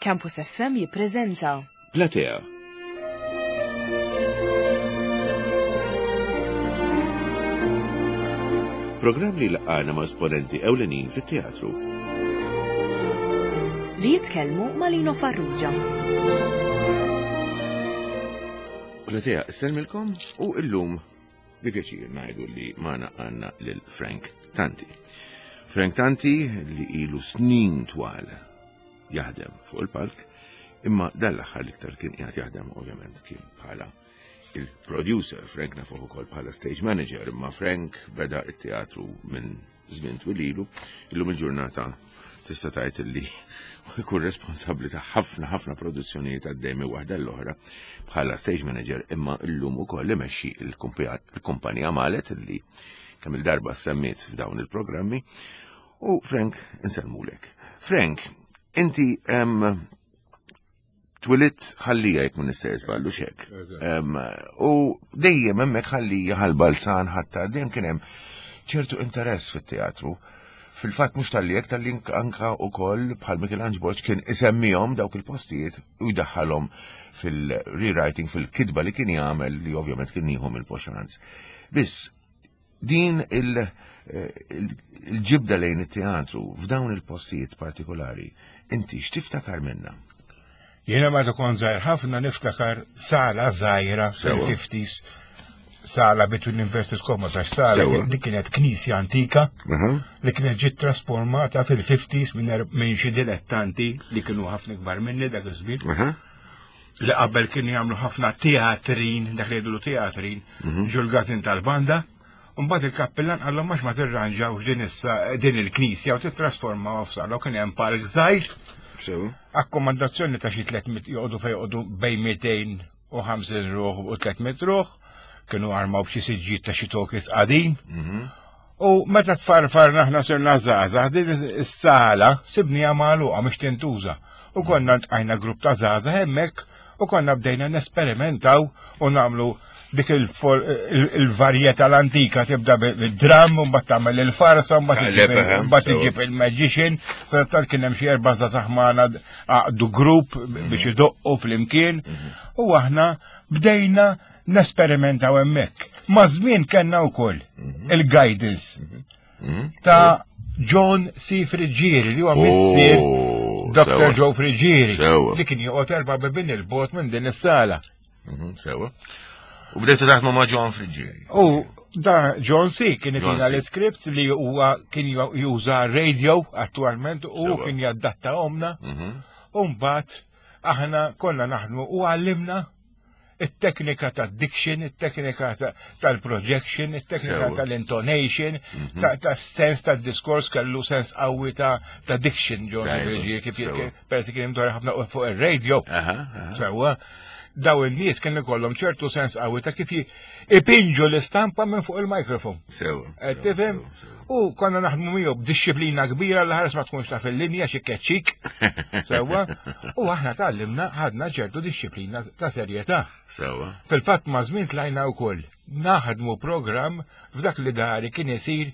Campus FM jippreżenta. Platea. Programm li laqgħana ma' esponenti ewlenin fit-teatru. Li jitkellmu ma' Lino Farrugia. Platea, sellmilkom u illum bi pjaċir ngħidu li magħna għandna lil Frank Tanti. Frank Tanti li ilu snin twal jaħdem fuq il-palk, imma dan l-aħħar l-iktar kien qiegħed jaħdem ovvjament kien bħala il-producer, Frank nafuh ukoll bħala stage manager, imma Frank beda it-teatru minn żmien twil ilu, illum il-ġurnata tista' tgħid li jkun responsabbli ta' ħafna ħafna produzzjonijiet għaddej minn waħda l-oħra bħala stage manager imma llum ukoll imexxi il-kumpanija Malet li kemm il-darba semmiet f'dawn il-programmi u Frank insellmulek. Frank, inti Twilidt ħallija jekk minn nistgħu żballu xek. U dejjem hemmhekk ħallija ħal-balzan ħattar dejjem kien hemm ċertu interess fit-teatru. Fil-fatt mhux tal-li hekk tal-li anka wkoll bħal Michelangelo Borg kien isemmihom dawk il-postijiet u jdaħħalhom fil-rewriting fil-kitba li kien jagħmel li ovvjament kien jieħu mill-poxanz. Biss Din il-ġibda lejn it-teatru f'dawn il-postijiet partikolari, inti x'tiftakar minna? Jiena meta kont żgħir ħafna niftakar sala żgħira fil-50s, sala between inverted commas għax sala li kienet knisja antika li kienet ġiet trasformata fil-50s er-, minn xi dilettanti li kienu ħafna kbar minni dak iż-żmien. Li qabel kienu jagħmlu ħafna teatrin, dak li jgħidulu teatrin, mhm. ġol gazin tal-banda. Mbagħad il-kappillan qallhom għax ma tirranġawx din issa din il-knisja u titrasformaw f'sala u kien hemm park żgħir. Akkomandazzjoni ta' xi 300 joqogħdu fejn joqogħdu bejn 250 ruħ u 300 ruħ, kienu armaw b'xi siġġiet ta' xi tokis qadim. Mhm. U meta tfarfarna aħna sirna żgħażagħ din is-sala sibniha magħluqa mhux tintuża. U konna ntqajna grupp ta' żgħażagħ hemmhekk u konna bdejna nesperimentaw u nagħmlu dik il-varjetà l-antika tibda bid-dram, u mbagħad tagħmel il-farsa, mbagħad iġib il-magician, sa tal kien hemm xi erba' żgħażagħ magħna għaqdu grupp biex idoqqu flimkien mhm. u aħna bdejna nesperimentaw hemmhekk. Ma' żmien kellna wkoll mhm. il-guidance mhm. Mhm. ta' John C. Friggieri li huwa missier oh, Dr. Joe Friggieri li kien joqgħod erba' bibin il-bot minn din is-sala. Sewa. U bdejtu taħdmu ma' John Friggieri. U da John C. kien itina l-scripts li huwa kien juża radio attualment u kien jaddatta omna. U mbagħad aħna konna naħdmu u għallimna it-teknika ta' diction, it-teknika tal-projection, it-teknika tal-intonation, mhm. ta' sens ta' diskors kellu sens qawwi ta' diction ġon kif persi kien imdor ħafna fuq ir-radio. Sewwa, daw in-nies kien ikollhom ċertu sens qawwi ta' kif ipinġu l-istampa minn fuq il-mikrofon. Sewa. Eh, tifhem? U konna naħdmu miegħu b'dixxiplina kbira l ħares ma tkunx taf il-linja xi keċċik. Sewa. U aħna tgħallimna ħadna ċertu dixxiplina ta' serjetà. Sewa. Fil-fatt ma' żmien tlajna wkoll naħdmu programm f'dak li dari kien isir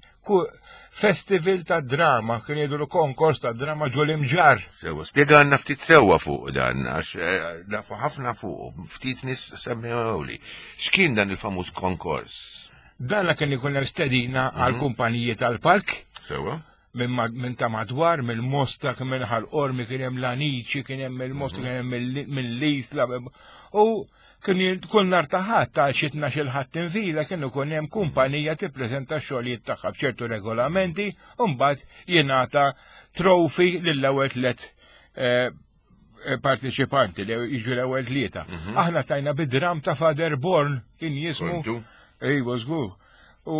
festival ta' drama, kien jgħidu konkors ta' drama ġol imġar. Sewa, spjegħanna ftit sewa fuq dan, għax eh, nafu ħafna fuq, ftit nis semmewli. X'kien dan il-famuż konkors? Dan kien ikun hemm stedina għal mhm. kumpaniji tal-park. Sewa. Minn ta' madwar, mill Mosta, minn ħal-Qormi, kien hemm l-Aniċi, kien hemm il-Mosta, mhm. kien hemm mill-Isla. U kien kull nar ta' ħadd għal xi tnax-il ħadd infila kien ikun hemm kumpanija tippreżenta x-xogħlijiet tagħha b'ċertu regolamenti u mbagħad jingħata trofi lill-ewwel tliet eh, parteċipanti li jiġu l-ewwel tlieta. Mhm. Aħna tajna bid-dram ta' Father Born kien jismu. Ejwa żgur. U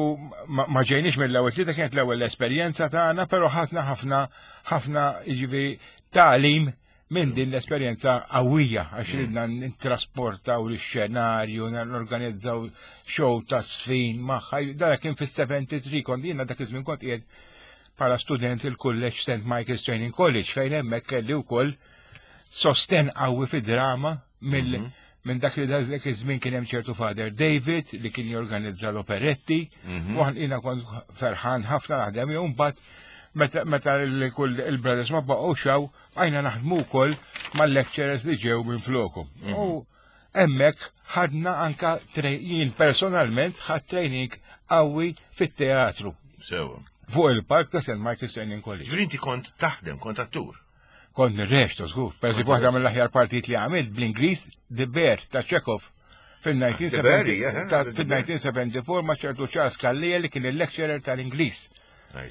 ma ġejniex mill-ewwel tlieta kienet l-ewwel esperjenza tagħna, però ħadna ħafna ħafna jiġifieri tagħlim minn din l-esperjenza qawwija għax mm. ridna nittrasportaw l-xenarju, norganizzaw show ta' sfin magħha. Dara kien fis-73 kont jiena dak iż-żmien kont qiegħed bħala student il-kulleġġ St. Michael's Training College fejn hemmhekk kelli wkoll sosten qawwi fid-drama mill mhm. minn dak li dak iż-żmien kien hemm ċertu Father David li kien jorganizza l-operetti mhm. u jiena kont ferħan ħafna naħdem jew mbagħad. meta kull il-brothers ma baqgħux hawn, bqajna naħdmu wkoll mal-lecturers li ġew minn floku. U hemmhekk ħadna anka jien personalment ħadd training qawwi fit-teatru. Sewa. Fuq il-park ta' St. Michael's Training College. Ġifieri inti kont taħdem, kont attur. Kont nirreċta żgur. Per eżempju, waħda mill-aħjar partijiet li għamilt bl-Ingliż The Bear ta' Chekhov fil-1974 ma' ċertu Charles Callia li kien il-lecturer tal-Ingliż.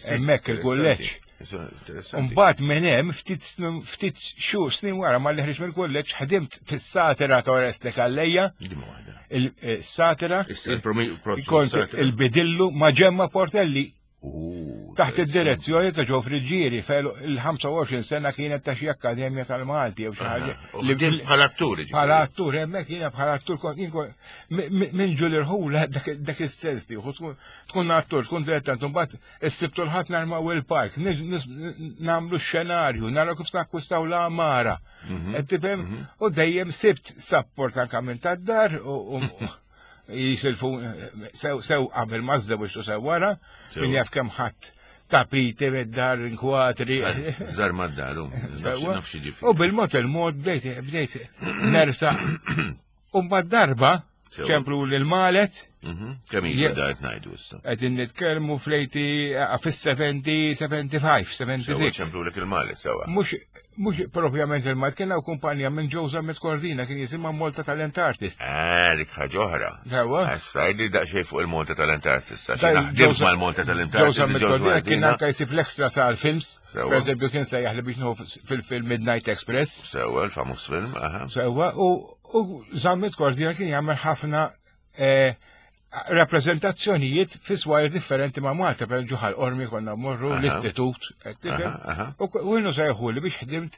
Hemmhekk il-kulleġġ. Mbagħad minn hemm ftit ftit xhur snin wara ma ħriġ mill-kulleġġ ħdimt fis-satira ta' Oreste Calleja. Il-satira. Kont il-bidillu ma' Ġemma Portelli Taħt id-direzzjoni ta' Joe Friggieri fejn il-25 sena kienet ta' xi akkademja tal-Malti jew xi ħaġa. Li bħala attur. Bħala attur, hemmhekk jiena bħala attur kont minn ġul irħula dak is-sens tieħu tkun attur, tkun dilettant, mbagħad issibtu l-ħadd narmaw il-park, nagħmlu x-xenarju, naraw kif nakkwistaw l-għamara. Mhm. Qed tifhem? Mhm. U dejjem sibt sapport anke minn tad-dar u jisilfu sew sew qabel ma żżewġtu sew wara, min jaf kemm ħadd tapiti mid-dar inkwatri. Żar mad-dar, U bil-mod il-mod bdejt bdejt nersa. U mbagħad darba ċemplu lil Malet. Mhm. Kemm ilu dajt ngħidu issa. Qegħdin nitkellmu fl-80 fis-70, 75, 76. Ċemplu lek il-Malet sewa. Mhux Mhux propjament il-Malt, kien hawn kumpanija minn Joe Zammit Cordina kien jisimha Malta Talent Artists. Eh, dik ħaġa oħra. Ewa. Issa, jdi daqsxejn fuq il-Malta Talent Artists, għax naħdem mal-Malta Talent Artists. Joe Zammit Cordina kien anke jsib l-extra sal films. Per eżempju kien sejjaħ li biex nieħu fil-film Midnight Express. Sewa, l-famuż film, aha. Sewa, u Zammit Cordina kien jagħmel ħafna eh, rappreżentazzjonijiet fi swajr differenti ma' Malta, per ġuħal ormi konna morru l-istitut, u jenu sejħu li biex ħdimt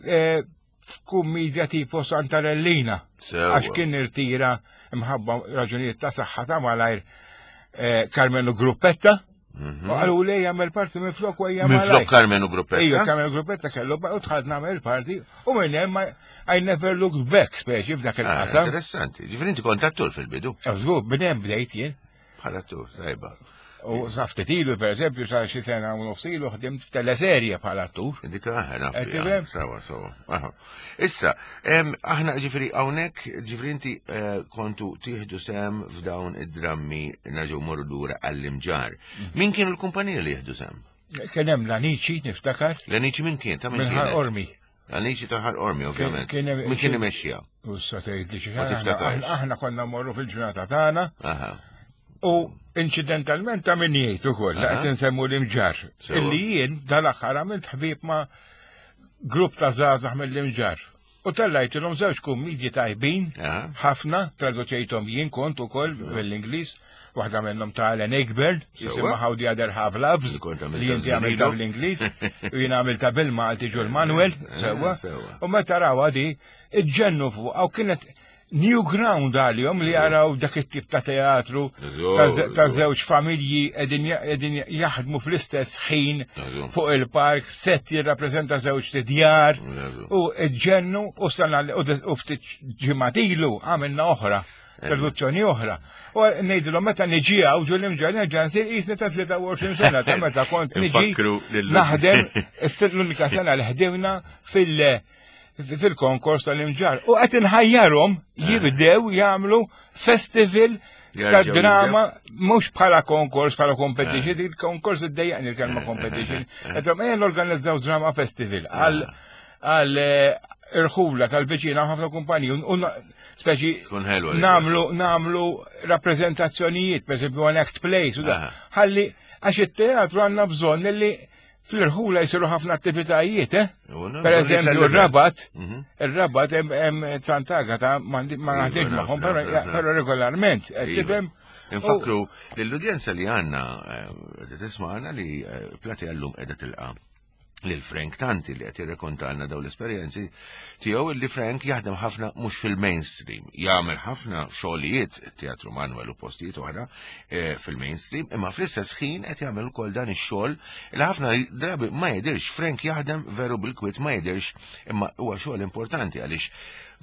eh, f'kummedja tipo Santarellina, għax kien irtira mħabba raġunijiet ta' saħħa ta' malajr eh, Carmelo Gruppetta, Mhm. U għalu li jagħmel parti minn flok u Minn flok Carmenu Gruppetta. Ejja, Carmenu Gruppetta kellu u dħalt nagħmel parti u minn hemm I never looked back speċi f'dak ah, il-qasam. Interessanti. Ġifieri inti kont attur fil-bidu. Eh, żgur, minn hemm bdejt jien. Bħala attur, tajba. U sa ftit ilu, per eżempju, sa xi sena u nofs ilu ħdimt f'teleserje bħala attur. Dik aħna eh, Sawa, sawa. Issa, aħna ġifieri hawnhekk, ġifieri inti eh, kontu tieħdu sem f'dawn id-drammi nerġgħu morru lura għall-imġar. Mm. Min kienu l-kumpanija li jieħdu sem? Kien hemm l-Anici, niftakar. L-Anici min kien? Ta' min kien? Ormi. L-Anici ta' Ħal Ormi, ovvjament. Min kien imexxija? U sa tgħid li xi Aħna konna morru fil-ġurnata tagħna. U inċidentalment ta' min jgħid ukoll, qed insemmu l-imġar. Illi jien dal-aħħar għamilt ħbieb ma' grupp ta' żgħażagħ mill-imġar. U tellajtilhom żewġ kummidji tajbin, ħafna, traduċejthom jien kont ukoll mill-Ingliż, waħda minnhom ta' Alan Ayckbourn, jisimha How the Other Half Loves, li inti għamilta bl-Ingliż, u jien għamilta bil-Malti ġul Manuel, sewwa. U meta rawha di, iġġennu fuq, u kienet new ground għalihom li jaraw dak it-tip ta' teatru ta' żewġ familji qegħdin jaħdmu fl-istess ħin fuq il-park, set jirrappreżenta żewġ tidjar u ġennu u sena u ftit ġimgħat ilu għamilna oħra traduzzjoni oħra. U ngħidilhom meta niġi hawn ġu l-imġar nerġa' nsir qisni ta' 23 sena ta' meta kont niġi naħdem l-unika sena li ħdimna fil- fil-konkors tal-imġar. U qed inħajjarhom eh. jibdew jagħmlu festival ta' drama mhux bħala konkors, bħala competition, eh. il-konkors iddejjaqni l-kelma eh, competition. Qed ejja norganizzaw drama festival għal għal irħula tal-veċina ħafna kumpaniji u speċi namlu namlu rappreżentazzjonijiet, per esempio one act plays u da. Ħalli għax it-teatru għandna bżonn li Fl-irħula jisiru ħafna attivitajiet, eh? Per eżempju, il-rabat, mhm. il-rabat hemm Sant'Agata ma naħdimx magħhom, però regolarment, qed iva. tifhem? Infakru l-udjenza li għandna eh, tisma'na li eh, Plati għallum qiegħda tilqa' lil Frank Tanti li qed jirrekontalna dawn l-esperjenzi tiegħu li Frank jaħdem ħafna mhux fil-mainstream, jagħmel ħafna xogħlijiet Teatru Manuel u postijiet oħra eh, fil-mainstream, imma fl-istess ħin qed jagħmel ukoll dan ix-xogħol li ħafna drabi ma jidhirx Frank jaħdem veru bil-kwit ma jidhirx imma huwa xogħol importanti għaliex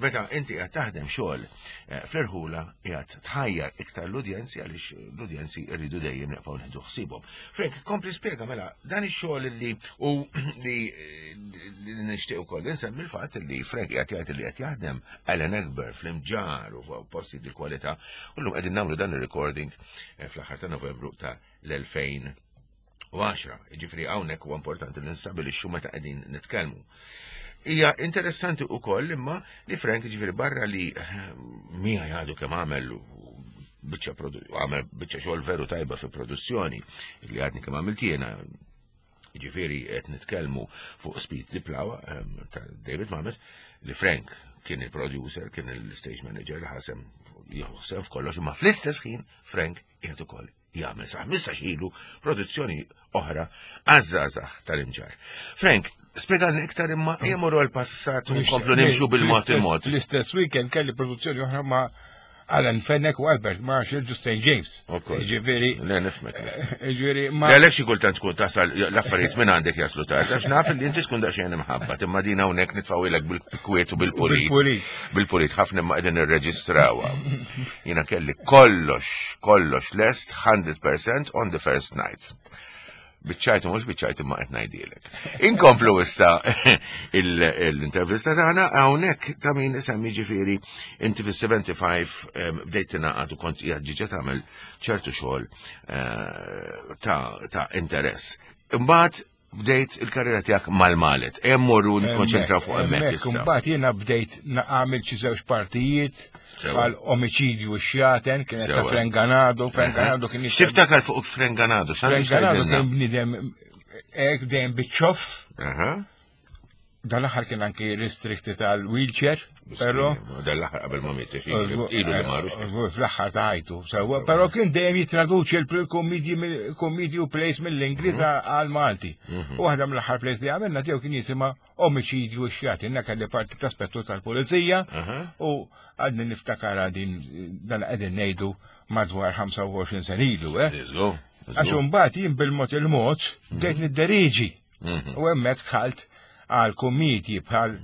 meta inti qed taħdem xogħol eh, fl-irħula qiegħed tħajjar iktar l-udjenzi għaliex l-udjenzi rridu dejjem nibqgħu nieħdu ħsiebhom. Frank, kompli spjega mela dan ix-xogħol li u li nixtieq ukoll insemmi l-fatt li Frank qiegħed jgħid li qed jaħdem Alan Ekber fl-imġar u posti di kwalità u llum qegħdin nagħmlu dan ir-recording eh, fl-aħħar ta' Novembru ta' l-2000 10. Ġifri hawnhekk huwa importanti li nistabilixxu meta qegħdin nitkellmu. Hija interessanti wkoll imma li Frank ġifri barra li eh, mija jgħadu kemm għamel biċċa għamel biċċa xogħol veru tajba fi produzzjoni li għadni kemm għamilt jiena ġifiri qed nitkellmu fuq Speed Diplawa ehm, ta' David Mamet li Frank kien il-producer, kien il-stage manager li ħasem jħossem f'kollox, imma fl-istess ħin Frank qiegħed ukoll jagħmel sa 15 ilu produzzjoni oħra għaż-żgħażagħ tal-imġar. Frank, spjegalna iktar imma jemorru għal-passat u nkomplu nimxu bil-mod il-mod. L-istess weekend kelli produzzjoni oħra ma' Alan Fenech u Albert Marshall ġu St. James. Ġifieri. Le nifmek. Ġifieri ma. Għalhekk xi kultant tkun tasal l-affarijiet minn għandek jaslu tard, għax naf li inti tkun daqsxejn imħabba, imma din hawnhekk nitfgħu bil-kwiet u bil-pulit. Bil-pulit ħafna imma qegħdin nirreġistrawha. Jiena kelli kollox, kollox lest 100% on the first night. Biċċajt mhux biċċajt imma qed ngħidilek. Inkomplu issa l-intervista tagħna hawnhekk ta' min isemmi ġifieri inti fis-75 bdejt tingħaqad u kont qiegħed ġiġa tagħmel ċertu xogħol eh, ta' interess. Imbagħad bdejt il-karriera tiegħek mal-Malet. Hemm morru nikkonċentraw fuq hemmhekk issa. Imbagħad jiena bdejt nagħmel xi żewġ partijiet għal omiċidju xjaten kienet ta' Frenganado, Frenganado kien X'tiftakar fuq Frenganado? Frenganado kien bniedem hekk dejjem biċ-ċoff. Dal-aħħar kien anki restricted għal wheelchair, però. Dal-aħħar qabel ma miet, ilu li marru. Fl-aħħar ta' ħajtu, sewwa, però kien dejjem jitraduċi l-kommedji u plays mill-Ingliż mhm. għal Malti. Mhm. U waħda mill-aħħar plays li għamilna tiegħu kien jisimha Omiċidju xjat, inna kelli parti ta' spettur tal-pulizija u għadni niftakar din dan qegħdin ngħidu madwar 25 sen ilu, eh? Għax imbagħad jien bil-mod il-mod bdejt mhm. nidderiġi. Mhm. U hemmhekk dħalt għal kummidji bħal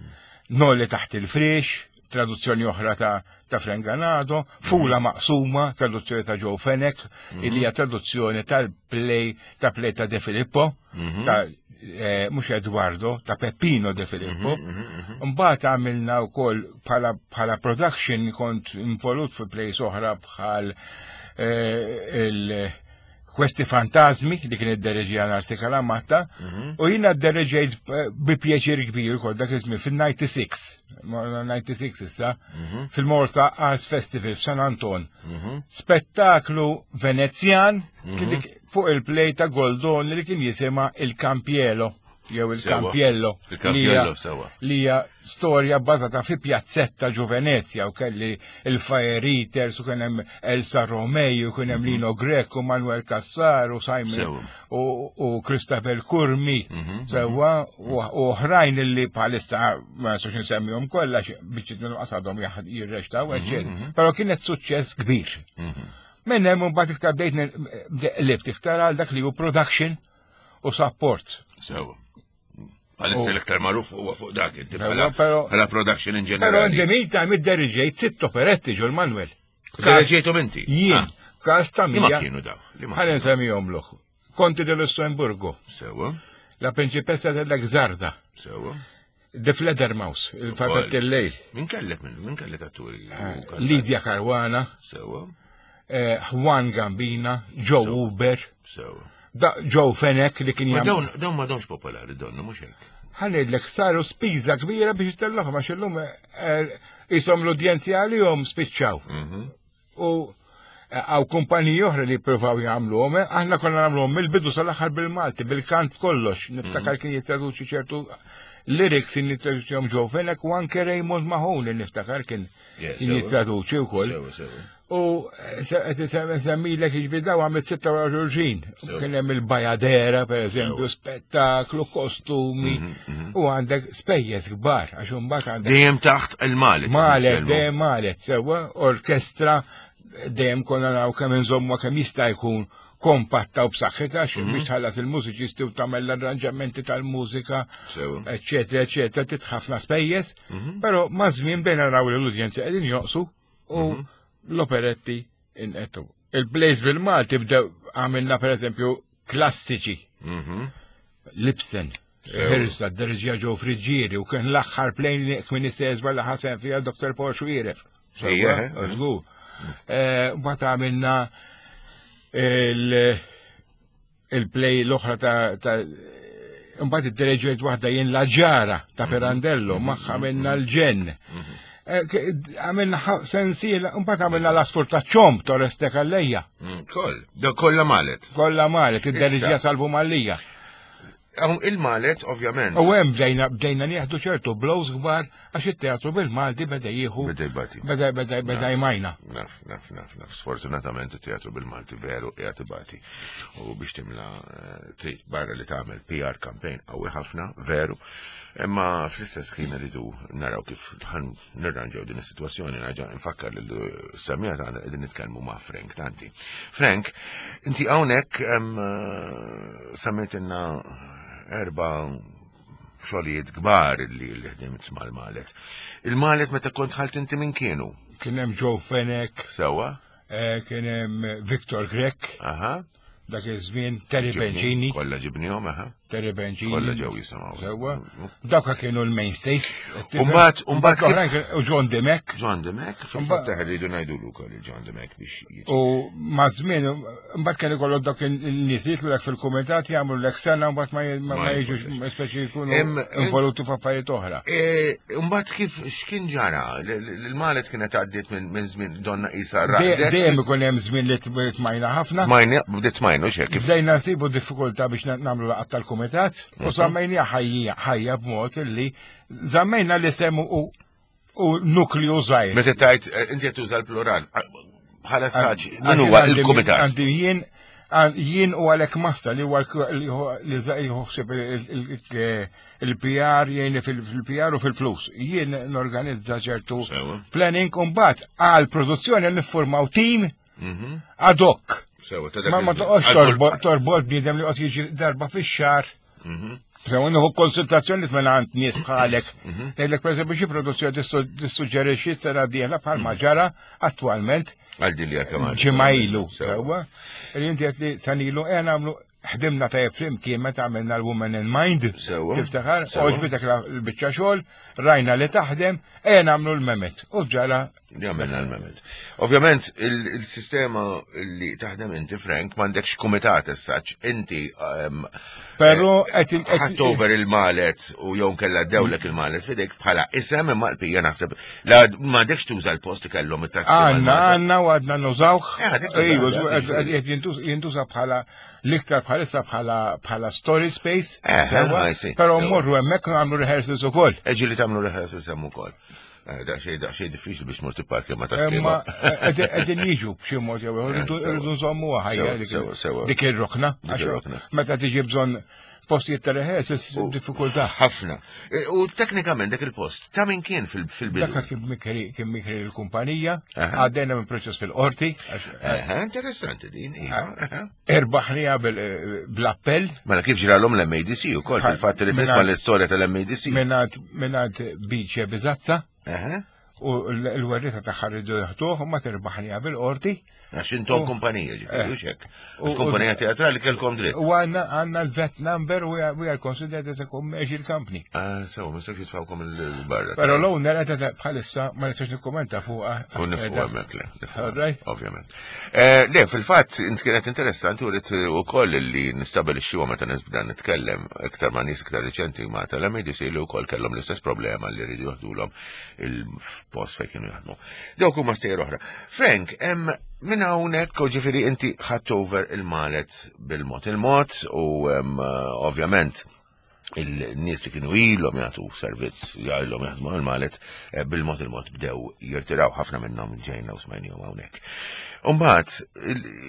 Nolli taħt il-friex, traduzzjoni oħra ta' ta' Frenganado, Fula mhm. Maqsuma, traduzzjoni ta' Joe Fenech, mhm. illi hija traduzzjoni tal-play ta' play ta' De Filippo, ta' eh, mhux Eduardo, ta' Peppino De Filippo. Mbagħad għamilna wkoll bħala production kont involut fi plays oħra bħal eh, il- Questi Fantasmi li kien iddereġija Narsi Kalamatta mhm. u jiena ddereġejt eh, bi pjaċir kbir kol dak iż-żmien fil-96, 96 issa, mhm. fil-Malta Arts Festival f'San Anton. Mhm. Spettaklu Venezjan fuq il-play ta' Goldoni li kien jisima Il-Campielo jew il-Campiello. Il-Campiello sewa. Li hija storja bbażata fi pjazzetta ġo Venezja u kelli il-Fire Eaters u kien hemm Elsa Romei u kien hemm mhm. Lino Grech u Manuel Cassar u Simon u Christabel Curmi mhm, sewwa mhm. u oħrajn li bħalissa ma nistax insemmihom kollha biċċiet minnhom qasadhom jirreċtaw eċċetera. Però kienet suċċess kbir. Minn hemm imbagħad iktar bdejt qlibt iktar għal dak li hu production u support. Sewa. Għalissa l-iktar magħruf huwa fuq dak inti bħala production in ġenerali. Però in the meantime idderġejt sitt operetti ġol Manuel. Derġejthom inti? Jien. Ah. Każ ta' mija. Ma kienu daw. Ħalli nsemmihom loħ. Conti de Lussemburgo. Sewa. La Principessa della Gżarda. Sewa. The Fledermaus, il-Fabet il-lejl. Min kellek minn, min kellek atturi? Eh, Lidia Caruana. Sewa. Eh, Juan Gambina, Joe Uber. Sewa. Joe Fenech li kien jagħmel. Dawn ma domx popolari donna mhux hekk. Ħanidlek saru spiża kbira biex itellahom għax illum eh, isom l-udjenzi għalihom spiċċaw. Mhm. U eh, għaw kumpaniji oħra li jippruvaw jagħmluhom, eh, aħna konna nagħmluhom mill-bidu sal-aħħar bil-Malti, bil-kant kollox. Niftakar mhm. kien jittraduċi ċertu Lyrics kien jittraduċihom Joe Fenech u anke Raymond Mahoney niftakar kien jittraduċi wkoll. U qed semmilek jiġifieri daw għamilt 26. Kien hemm il-Bajadera pereżempju, spettaklu, kostumi mhm, mhm. u għandek spejjeż kbar għax imbagħad għandek. Dejjem taħt il-Malet. Malet, dejjem Malet, sewwa, orkestra dejjem konna naraw kemm inżommu kemm jista' jkun kompatta u b'saħħitha xi mhm. biex tħallas il-mużiċisti u tagħmel l-arranġamenti tal-mużika, eċetera, eċetera, trid ħafna spejjeż, mhm. però ma' żmien bejn naraw li l-udjenzi qegħdin joqsu u mhm. l-operetti inqetu. Il-plays bil-Malti bdew għamilna pereżempju klassiċi. Lipsen. Ħirsa, d-derġija ġew friġġieri u kien l-aħħar plejn li kien isejżba li ħasen fiha Dr. Paul Xuiref. Żgur. Eh, mbagħad għamilna il-play l-oħra ta' mbagħad id-dereġiet waħda jien la ġara ta' mhm. Pirandello, mhm. magħha għamilna l-ġenn. Mhm. Eh, għamilna sensiela, mbagħad għamilna l-asfur ta' ċomb Torres Calleja. Mm, koll, kollha malet. Kollha malet, id-dereġija Salvu Mallija. Il-Malet, ovvjament. U hemm bdejna bdejna nieħdu ċertu blows kbar għax it-teatru bil-Malti beda jieħu. Beda jbati. Beda beda beda jmajna. Naf, naf, naf, naf. Sfortunatament it-teatru bil-Malti veru qiegħed ibati. U biex timla eh, trid barra li tagħmel PR campaign qawwi ħafna, veru. Imma fl-istess ħin rridu naraw kif nirranġaw din is-sitwazzjoni naġa nfakkar lil semija tagħna qegħdin nitkellmu ma' Frank Tanti. Frank, inti hawnhekk eh, semmejtilna erba' xogħlijiet kbar li ħdimt mal-Malet. Il-Malet meta kont ħalt inti minn kienu? Kien hemm Joe Fenech. Sewwa. Eh, kien hemm Victor Grech. Aha. Dak iż-żmien Terry Bengini. Kollha ġibnihom, aha. Terry Bengini. Kollha ġew jisimgħu. Sewwa. Dawk kienu l-mainstays. Umbagħad, umbagħad u John Demek. John Demek, fil-fatt rridu ngħidulu wkoll il-John Demek biex jiġi. U ma' żmien mbagħad kien ikollok dak in-nies li jitlek fil-kumitat jagħmlu lek sena mbagħad ma jiġux speċi jkunu involuti f'affarijiet oħra. E, mbagħad kif x'kien ġara? L-Malet kienet għaddiet minn żmien donna qisha raqdet. Dejjem ikun hemm żmien li tmajna ħafna. Tmajna, bdiet tmajnu x'hekk kif. Bdejna nsibu diffikultà biex nagħmlu laqgħat tal-kumitat u mhm. żammejna ħajja ħajja b'mod illi żammejna l-isem u u nukliju żgħir. Meta tajt eh, inti qed tuża l-plural bħala saċ, min huwa il-kumitat? Għandi jien jien u għalek massa li huwa li jħossib il-PR jgħinni fil-PR u fil-flus. Jien norganizza ċertu planning kumbat għal produzzjoni niffurmaw team mhm. ad hoc. Ma ma toqgħodx torbot bniedem li qed jiġi darba fix-xahar. Mhm. Sewa nieħu konsultazzjoni minn għand nies bħalek. Mhm. Ngħidlek pereżempju xi produzzjoni tissuġġerixxi sena dieħla bħal ma ġara attwalment. Għal din li kemm Ġimgħa ilu. Sewwa. Li inti qed li sanilu qiegħ nagħmlu ħdimna tajjeb flimkien meta għamilna l-Women in Mind. Sewwa. Tiftakar, għoġbitek l-biċċa xogħol, rajna li taħdem, ejja nagħmlu l-memet. U ġara Li għamilna l-memet. Ovvjament, il-sistema li taħdem inti, Frank, m'għandekx kumitat essaċ, inti ehm, Pero eh, ħadd over il-malet u jew kella dewlek il-malet fidejk bħala isem imma l-pija naħseb la m'għandekx tuża l-post li kellhom it-taski. Għandna għandna u għadna nużawh. Eh, jintuża bħala l-iktar bħalissa bħala bħala storage space. Eh, Però mmorru hemmhekk nagħmlu rehearsals ukoll. Eġi li tagħmlu rehearsals hemm ukoll. Eh, daqsxejn daqsxejn diffiċli biex mort tipparkja ma taslima. Eh, qegħdin jiġu b'xi mod jew eh, irridu nżommu ħajja dik ir-rokna. Meta tiġi bżonn postijiet ta' reħes, diffikultà. Ħafna. U teknikament dak il-post, ta' min kien fil-bidu? Dak kien mikri kien mikri l-kumpanija, għaddejna minn proċess fil-qorti. Interessanti din, iva. Erbaħnija bl-appell. Mela kif ġralhom l-MADC ukoll fil-fatt li nisma' l-istorja tal-MADC. Mingħand Biċe Biżazza. U l-werrieta tagħha rridu jaħduh u ma terbaħnija bil-qorti. Għax intom kumpanija ġifieri, eh. hekk. Għax kumpanija teatrali kellkom dritt. U għandna għandna l-vet number u we are considered as a commercial company. Ah, sew, ma nistax jitfawkom il-barra. Però l-owner qed bħalissa ma nistax nikkumenta fuqha. U nifhu hemmhekk le. Ovvjament. Eh, le, fil-fatt, int kienet interessanti u rrit u koll li nistabilixxi meta nisbda nitkellem iktar ma' nies iktar riċenti ma' tal-MDC li wkoll kellhom l-istess problema li rridu jaħdulhom il-post fejn kienu jaħdmu. Dawk huma stejjer oħra. Frank, hemm minn hawnhekk u ġifieri inti ħadd over il-malet bil-mod il-mod u ovvjament. Il-nies li kienu ilhom jagħtu servizz, ilhom jaħdmu għal-Malet, eh, bil-mod il-mod bdew jirtiraw ħafna minnhom ġejna u smajnihom hawnhekk. Umbagħad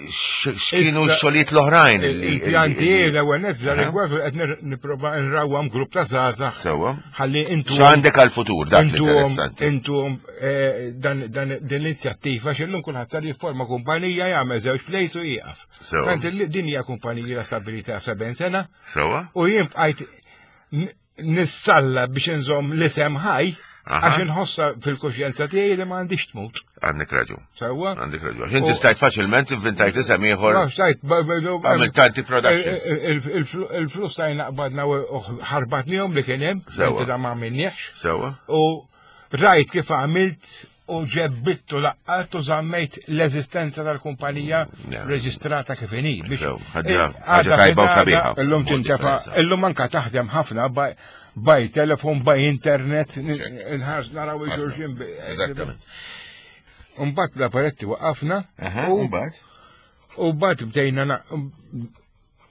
x'kienu x-xogħlijiet l-oħrajn li Il-pjanti l-ewwel nett f'dan rigward qed nipprova nrawwam grupp ta' żgħażagħ. Sewwa. Ħalli intu X'għandek għall-futur dak interessanti. Intu eh, dan din l-inizjattiva x'illum kulħadd sar jifforma kumpanija jagħmel żewġ plays u jieqaf. Tant din hija kumpanija stabilità 70 sena. Sewwa. U jien bqajt nissalla biex inżomm l-isem ħaj, għax inħossa fil-kuxjenza tiegħi li ma għandix tmut. Għandek raġun. Sewwa. Għandek raġun. Għax inti stajt faċilment inventajt isem ieħor. Stajt, għamil tanti productions. Il-flus tajna qbadna u ħarbatnihom li kien hemm, Sewwa. da ma għamilniex. Sewwa. U rajt kif għamilt u ġebbittu laqqat u żammejt l-eżistenza tal-kumpanija mm, reġistrata kif inhi. Biex eh, ħaġa tajba u sabiħa. Illum tintefa, illum anka taħdem ħafna by telefon, by internet, nħarż naraw il-xulxin. Eżattament. Umbat l-apparetti waqafna. U mbagħad? U mbagħad bdejna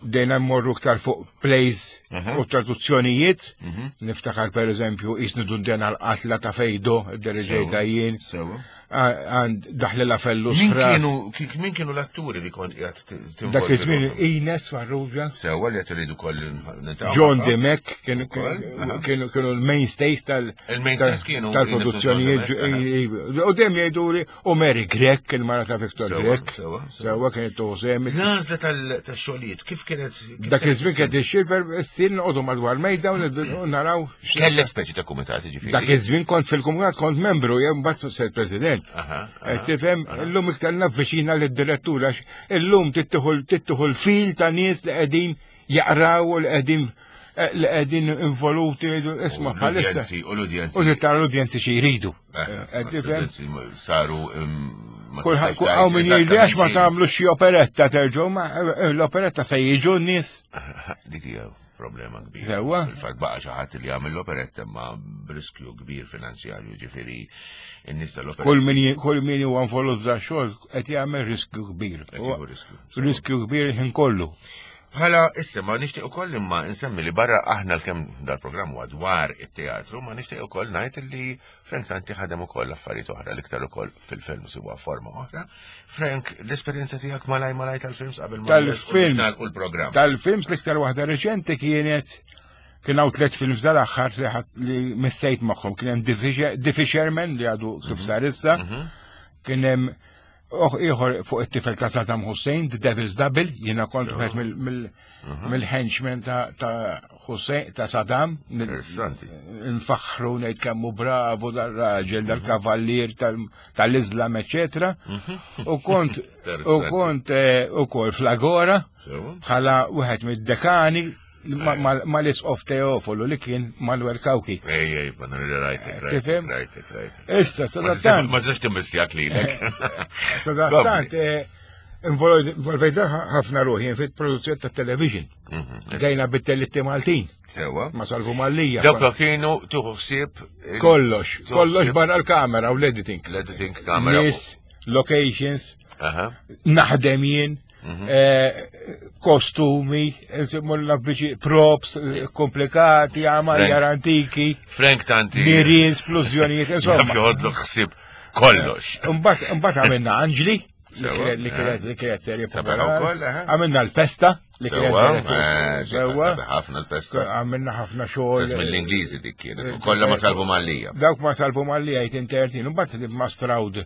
bdejna mmorru iktar fuq plays u traduzzjonijiet. Mhm. Niftakar per eżempju jisni dundena l-qatla ta' fejdo, id-deriġejta jien. Għand daħli la fellu sfra. Min kienu l-atturi li kont qiegħed Dak iż-żmien Ines Farrugia. Sewwa li qed iridu koll John Dimek kienu kienu l-mainstays tal Il-mainstays kienu tal-produzzjonijiet. U dejjem jgħidu U Mary Grech, il-mara ta' Victor Grech. Sewa kienet tużem. L-għażla tal-xogħlijiet, kif kienet? Dak iż-żmien kienet ixxir issir noqogħdu madwar mejda u naraw. Kellek speċi ta' kumitat ġifieri. Dak iż-żmien kont fil-kumitat kont membru, jew mbagħad sir president. Eh, tifhem, illum iktar navviċina lid-direttur għax illum tittieħu l-fil ta' nies li qegħdin jaqraw u li qegħdin eh, li qegħdin involuti isma' bħalissa. U l-udjenzi. U tara l-udjenzi xi jridu. Eh, eh, saru Kulħadd hawn min jgħidli għax ma tagħmlu xi operetta terġgħu ma l-operetta se jiġu n-nies. Dik hija problema kbira. Sewwa. Fil-fatt baqa' xi ħadd li jagħmel l-operetta ma b'riskju kbir finanzjarju ġifieri n-nies tal-operetta. Kull min kull min huwa involut f'dan xogħol qed jagħmel riskju kbir. Riskju kbir ħin kollu. Bħala issa ma nixtieq ukoll imma nsemmi li barra aħna l-kemm dal-programm huwa dwar it-teatru, ma nixtieq ukoll ngħid li Frank Tanti ħadem ukoll affarijiet oħra l-iktar ukoll fil-films huwa forma oħra. Frank, l-esperjenza tiegħek malaj malaj tal-films qabel ma tal-films l-programm. Tal-films l-iktar waħda reċenti kienet kien hawn tliet films dal-aħħar li missejt magħhom kien hemm The Fisherman li għadu kif mhm. sar issa, mhm. kien hemm Oħ ieħor fuq it-tifel ta' Saddam Hussein, The Devil's Double, jiena kont wieħed mhm. mill-henchmen ta' Hussein, ta' Saddam. Nfaħħru ngħid kemm hu bravu dar-raġel, mhm. dal-kavallier tal-Islam, eċetera. Mhm. U kont u kont eh, ukoll fl-Agora bħala wieħed mid-dekani mal-isqof Teofolu li kien Manuel Kawki. Ej, ej, ma rajtek, rajtek, rajtek, rajtek. Issa, sadattant. Ma tistax timmissjak lilek. Sadattant, eh, involvejt ħafna ruħi fit-produzzjoni ta' television. Mhm, Dejna bit-tellitti Maltin. Sewa. Ma salvu Mallija. Dawk kienu tuħu ħsieb. Kollox, kollox barra l-kamera u l-editing. L-editing kamera. Nies, locations, naħdem jien. Mhm. Eh, kostumi, nsimu props eh, komplikati, għamar antiki. Frank Tanti. Nirien, splużjonijiet, insomma. Jaf joħodlu ħsib kollox. Mbagħad għamilna Anġli, li kienet li kienet serje popolari. Għamilna l-pesta li kienet sewwa. Ħafna l-pesta. Għamilna ħafna xogħol. Mill-Ingliżi dik kienet. Kollha ma salvu Mallija. Dawk ma salvu Mallija jtintertin. Mbagħad ma Stroud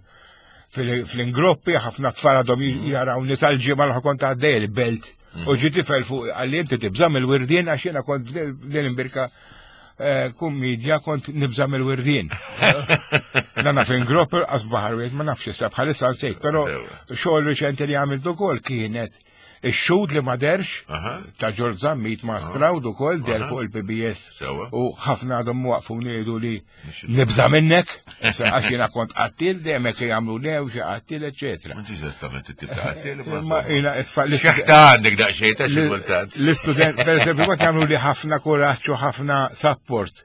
fl-ingroppi, ħafna tfal għadhom mm. jaraw nisa l-ġimgħa l kont għaddej il-belt. Mm. U ġi tifel fuq għalli inti tibża mill-wirdien għax jiena kont din imbirka eh, kummedja kont nibża mill-wirdien. Nana fin gropp qas baħar wieħed ma nafx issa bħalissa nsejt, però xogħol riċenti li għamilt ukoll kienet Ix-xhud li ma derx ta' Ġorġ Zammit ma' Stroud ukoll der fuq il-PBS. U ħafna għadhom waqfu ngħidu li nibża' minnek, għax jiena kont qattil dejjem hekk jagħmlu lew xi qattil, eċetera. Mhux eżattament it-tip ta' qattil, imma jiena itfal. Xeħta għandek daqsxejn ta' xi kultant. L-istudent, pereżempju, kont jagħmlu li ħafna kuraġġ u ħafna support.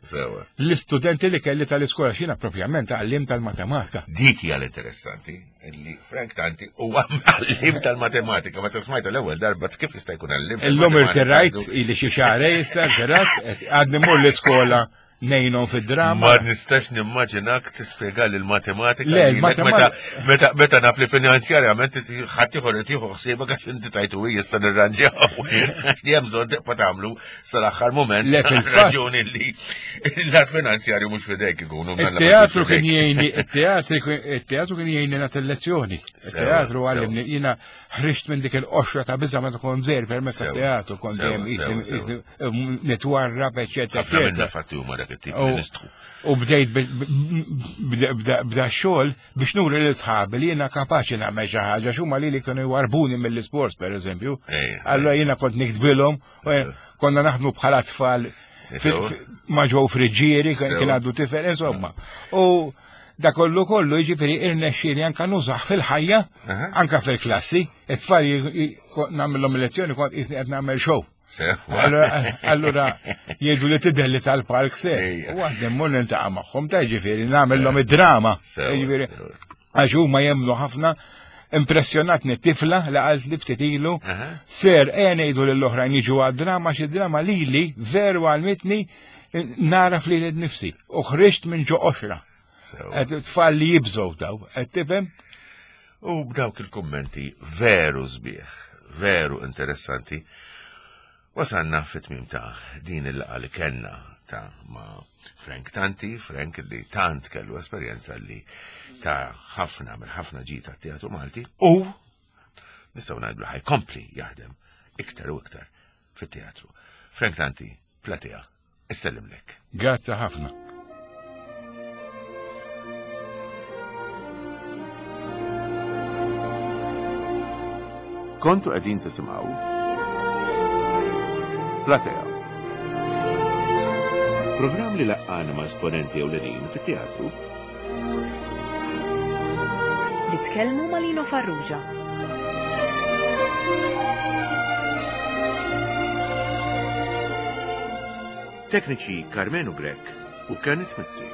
L-istudenti li kelli tal-iskola x'jiena propjament għallim tal-matematika. Dik hija l-interessanti. illi Frank Tanti huwa għallim tal-matematika, meta smajta l-ewwel darba kif jista' jkun għallim. Illum irtirajt ili xi xahar issa irtirajt, għadni mur l-iskola nejnom fid-drama. Ma nistax nimmaġinak tispjega li l-matematika. Le, l-matematika. Meta meta naf li finanzjarjament ħadd ieħor qed jieħu ħsiebek għax inti tajtu issa nirranġaw. Għax li hemm bżonn tibqa' tagħmlu sal-aħħar mument. Le fil-raġuni li l-lat finanzjarju mhux fidejk ikunu. Il-teatru kien jgħinni, il-teatru kien jgħinni nagħti lezzjoni. Il-teatru għallimni jiena ħriġt minn dik il-qoxra ta' biża' meta kont żgħir permezz tat-teatru kont dejjem nitwarrab, eċetera. Ħafna minna fatti huma dak it-tip li nistħu. U bdejt bda xogħol biex nuri lil sħabi li jiena kapaċi nagħmel xi ħaġa x'huma li li kienu jwarbuni mill-isports pereżempju. Allura jiena kont niktbilhom, konna naħdmu bħala tfal ma' ġew friġġieri, kien għaddu tifel, insomma. U da kollu kollu jiġifieri irnexxieli anka nużaħ fil-ħajja, anka fil-klassi, it-tfal nagħmilhom lezzjoni kont qisni qed nagħmel show. Allura jgħidu li tidher li tal-palk se. U għad immur niltaqa' magħhom ta' ġifieri nagħmilhom id-drama. Ġifieri għax huma jemmnu ħafna impressjonatni tifla li qalt li ftit ilu ser ejja ngħidu lill-oħrajn jiġu għad-drama xi drama lili veru għalmitni naraf li nifsi u ħriġt minn ġo qoxra. Tfal li jibżgħu daw, qed tifhem? U b'dawk il-kummenti veru sbieħ, veru interessanti, wasalna fit-tmiem ta' din il-laqgħa li kellna ta' ma' Frank Tanti, Frank li tant kellu esperjenza li ta' ħafna mill ħafna ġid tat-teatru Malti u nistgħu ngħidu ħajkompli jaħdem iktar u iktar fit-teatru. Frank Tanti, Platea. Issellimlek. Grazzi ħafna. Kontu qegħdin tisimgħu Platea. Programm li laqqana ma' esponenti ewlenin fit-teatru. Li tkellmu ma' Lino Farrugia. Tekniċi Karmenu Grech u Kenneth Mizzi.